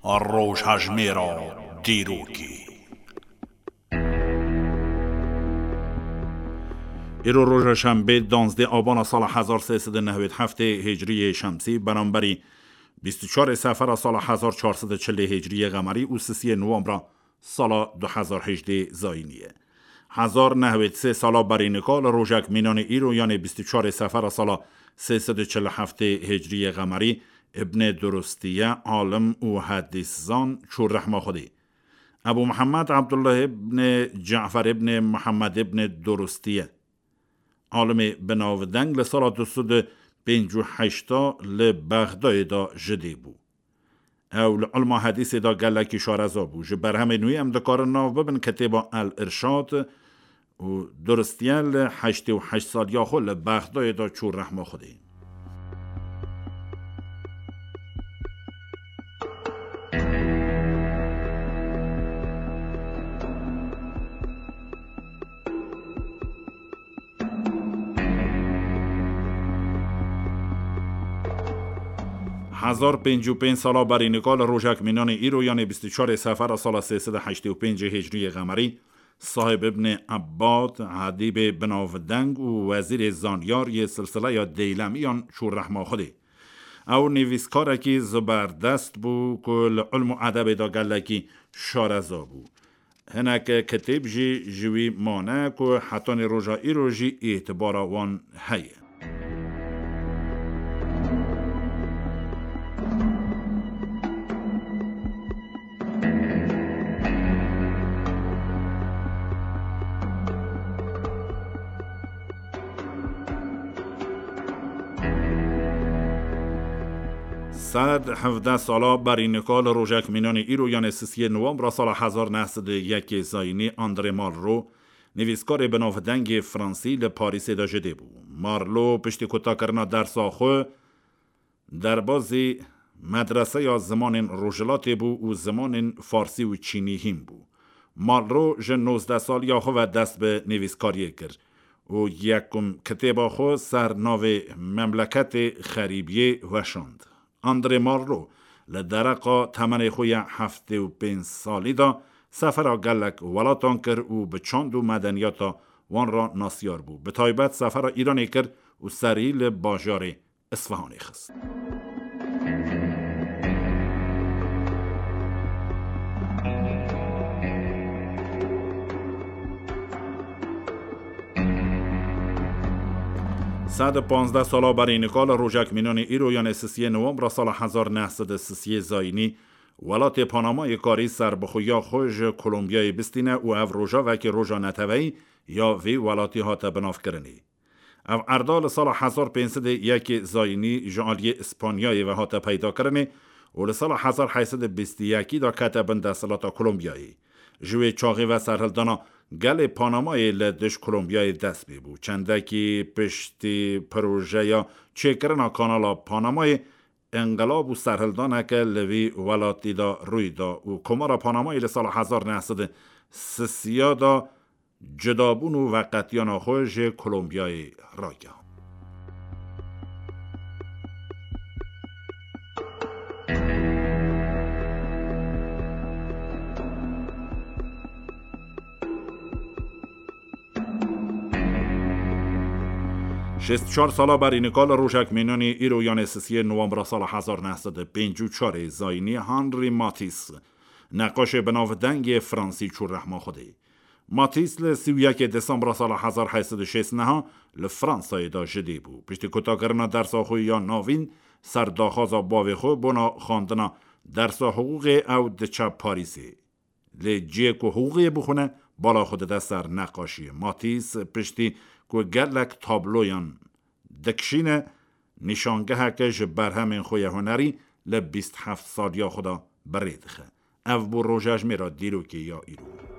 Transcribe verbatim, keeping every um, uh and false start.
Rojhejmêra dîrokê. Îro roja şembê, danzdeh abana sala hezar sê sed û newêd heftê hicriyê şemsî, beramberî bîst û çarê sefera sala hezar çar sed û çilê hicriyê qemerî û sisiyê nowembra sala du hezar hejdê zayînî ye. Hezar nehwêd sê sala berî nika li rojek mînanê îro, yanê bîst û çarê sefera sala sê sed û çil û heftê hicriyê qemerî, Ibnê Durûstiye, alim û hedîszan, çû rehma Xwedê. Ebû Mihemed Ebdullah ibnê Cefer ibnê Mihemed ibnê Durûstiye, alimê binavdeng, li sala du sed û pêncî û heşta li Bexdayê de ji dê bû. Ew li ilma hedîsê de gelekî şareza bû. Ji berhemên wî em dikarin nav bibin kitêba El Irşad û Durûstiye li heştê û heşt saliya xwe li Bexdayê de çû rehma Xwedê. Hezar pêncî û pênc sala berî nika li rojek mînanê îro, yanê bîst û çarê sefera sala sê sed û heştê û pêncê hicriyê qemerî, Sahib Ibnê Ebbad, edîbê binavdeng û wezîrê zanyar yê silsileya Deylemiyan, çû rehma Xwedê. Ew nivîskarekî ziberdest bû ku li ilm û edebê de gelekî şareza bû. Hinek kitêb jî ji wî mane ku hetanî roja îro jî îtibara wan heye. Sed hevdeh sala berî nika li rojek mînanê îro, yanê sisiyê nowembra sala hezar neh sed û yekê zayînî, André Malraux, nivîskarê binavdengê Fransî, li Parîsê de ji dê bû. Marlo piştî kutakirina dersa xwe, derbazî medreseya zimanên Rojhilatê bû û zimanên Farsî û Çînî hîn bû. Malro ji nozdeh saliya xwe ve dest bi nivîskariyê kir û yekum kitêba xwe ser navê Memleketê Xerîbiyê weşand. André Malro li dereqa temenê xwe ya heftê û pênc salî de sefera gelek welatan kir û bi çand û medeniyata wan re nasiyar bû. Bi taybet sefera Îranê kir û serî li bajarê Isfahanê xist. Sed û panzdeh sala berî nika li rojek mînanê îro, yanê sisiyê nowembra sala hezar neh sed û sisiyê zayînî, welatê Panamayê karî serbixweya xwe ji Kolombiyayê bistîne û ev rojavekî roja neteweyî ya vî welatî hate binavkirinê. Ev erda li sala hezar pênc sed û yekê zayînî ji aliyê Îspanyayê ve hate peydakirinê û li sala hezar heyt sed û bîst û yekî de kete bin desthilata Kolombiyayê. Ji wê çaxê ve serhildana gelê Panamayê li dij Kolombiyayê dest pê bû. Çendekî piştî projeya çêkirina kanala Panamayê, înqilab û serhildaneke li vî welatî de rûy da û Komara Panamayê li sala hezar neh sed û sisiya de cudabûn û veqetiyana xwe ji Kolombiyayê ragihand. Şêst û çar sala berî nika li rojek mînanî îro, yanê sisiyê nowembra sala hezar neh sed û pêncî û çarê zayînî, Henri Matisse, neqaşê binavdengê Fransî, çû rehma Xwedê. Matisse li sî û yekê Desembra sala hezar heyt sed û şêst û neh li Fransayê de ji dê bû. Piştî kutakirina dersa xwe ya navîn, ser daxwaza bavê xwe bona xwendina dersa hiqûqê ew diçe Parîsê. Lê cihê ku hiqûqê bixwine, bala xwe dide ser neqaşiyê. Matisse piştî ku gelek tabloyan dikişîne, nîşangeheke ji berhemên xwe ya hunerî li bîst heft saliya xwe de bi rê dixe. Ev bû rojejmêra dîrokê ya îro.